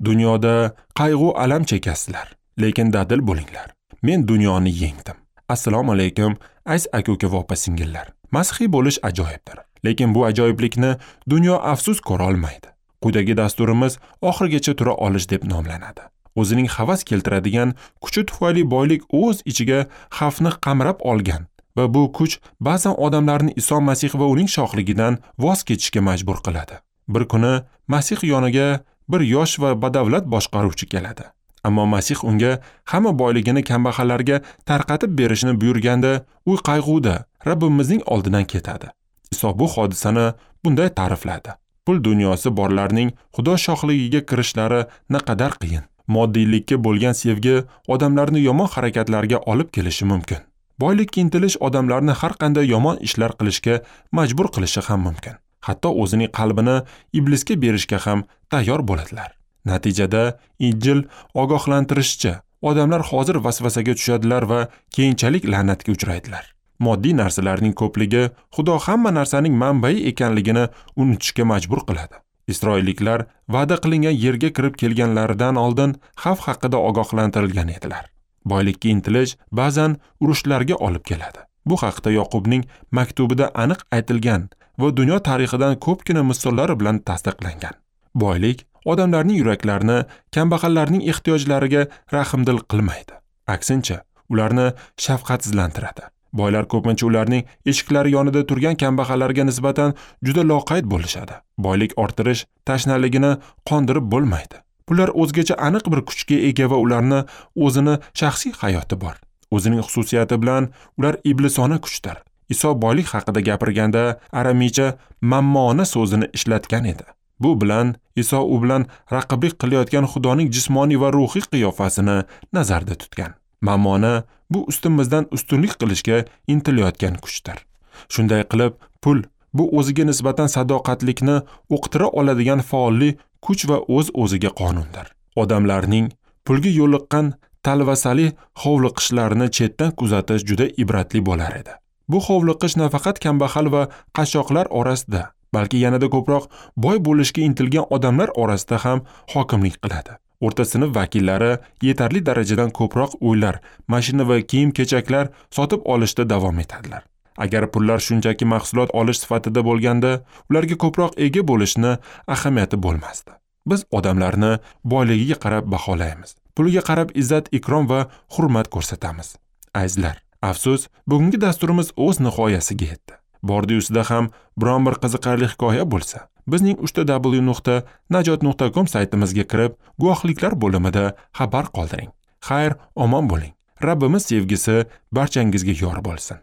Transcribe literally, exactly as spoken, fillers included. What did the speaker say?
Dunyoda qayg'u alam chekasizlar, lekin dadil bo'linglar. Men dunyoni yengdim. Assalomu alaykum, aziz aka-uka va opa-singillar. Masihiy bo'lish ajoyibdir, lekin bu ajoyiblikni dunyo afsus ko'ra olmaydi. Quyidagi dasturimiz oxirigacha tura olish deb nomlanadi. O'zining havas keltiradigan kuchi tufayli boylik o'z ichiga xavfni qamrab olgan va bu kuch ba'zan odamlarni Iso Masih va uning shohligidan voz kechishga majbur qiladi. Bir kuni Masih yoniga bir yosh va badavlat boshqaruvchi keladi. Ammo Masih unga hamma boyligini kambag'allarga tarqatib berishni buyurganda, u qayg'uda Rabbimizning oldidan ketadi. Iso bu hodisani bunday ta'rifladi: pul dunyosi borlarning Xudo shohligiga kirishlari naqadar qiyin. Moddiylikka bo'lgan sevgi odamlarni yomon harakatlarga olib kelishi mumkin. Boylikka intilish odamlarni har qanday yomon ishlar qilishga majbur qilishi ham mumkin. Hatto o'zining qalbini iblisga berishga ham tayyor bo'ladilar. Natijada Injil ogohlantirishicha, odamlar hozir vasvasaga tushadilar va keyinchalik la'natga uchraydilar. Moddiy narsalarning ko'pligi Xudo hamma narsaning manbai ekanligini unutishga majbur qiladi. Isroilliklar va'da qilingan yerga kirib kelganlaridan oldin xavf haqida ogohlantirilgan edilar. Boylikka intilish ba'zan urushlarga olib keladi. Bu haqda Yoqubning maktubida aniq aytilgan va dunyo tarixidan ko'pgina misollar bilan tasdiqlangan. Boylik odamlarning yuraklarini kambag'allarning ehtiyojlariga rahmdil qilmaydi. Aksincha, ularni shafqatsizlantiradi. Boylar ko'pincha ularning eshiklari yonida turgan kambag'allarga nisbatan juda loqayd bo'lishadi. Boylik orttirish tashnaligini qondirib bo'lmaydi. Bular o'zgacha aniq bir kuchga ega va ularni o'zini shaxsiy hayoti bor. O'zining xususiyati bilan ular iblisona kuchdir. Iso boylik haqida gapirganda aramiycha mammona so'zini ishlatgan edi. Bu bilan Iso u bilan raqiblik qilayotgan Xudoning jismoniy va ruhiy qiyofasini nazarda tutgan. Mammona bu ustimizdan ustunlik qilishga intilayotgan kuchdir. Shunday qilib, pul bu o'ziga nisbatan sadoqatlikni uqtira oladigan faolli kuch va o'z-o'ziga qonundir. Odamlarning pulga yo'liqqan talvasali hovliqishlarini chetdan kuzatish juda ibratli bo'lar edi. Bu hovliqish nafaqat kambag'al va qashshoqlar orasida, balki yanada ko'proq boy bo'lishga intilgan odamlar orasida ham hokimlik qiladi. O'rta sinf vakillari yetarli darajadan ko'proq uylar, mashina va kiyim-kechaklar sotib olishda davom etadilar. Agar pullar shunchaki mahsulot olish sifatida bo'lganda, ularga ko'proq ega bo'lishni ahamiyati bo'lmasdi. Biz odamlarni boyligiga qarab baholaymiz. Puliga qarab izzat, ikrom va hurmat ko'rsatamiz. Azizlar, afsus, bugungi dasturimiz o'z nihoyasiga yetdi. Bordi-yusida ham biron bir qiziqarli hikoya bo'lsa, bizning uch ta w nuqta najot nuqta com saytimizga kirib, guvohliklar bo'limida xabar qoldiring. Xayr, omon bo'ling. Rabbimiz sevgisi barchangizga yor bo'lsin.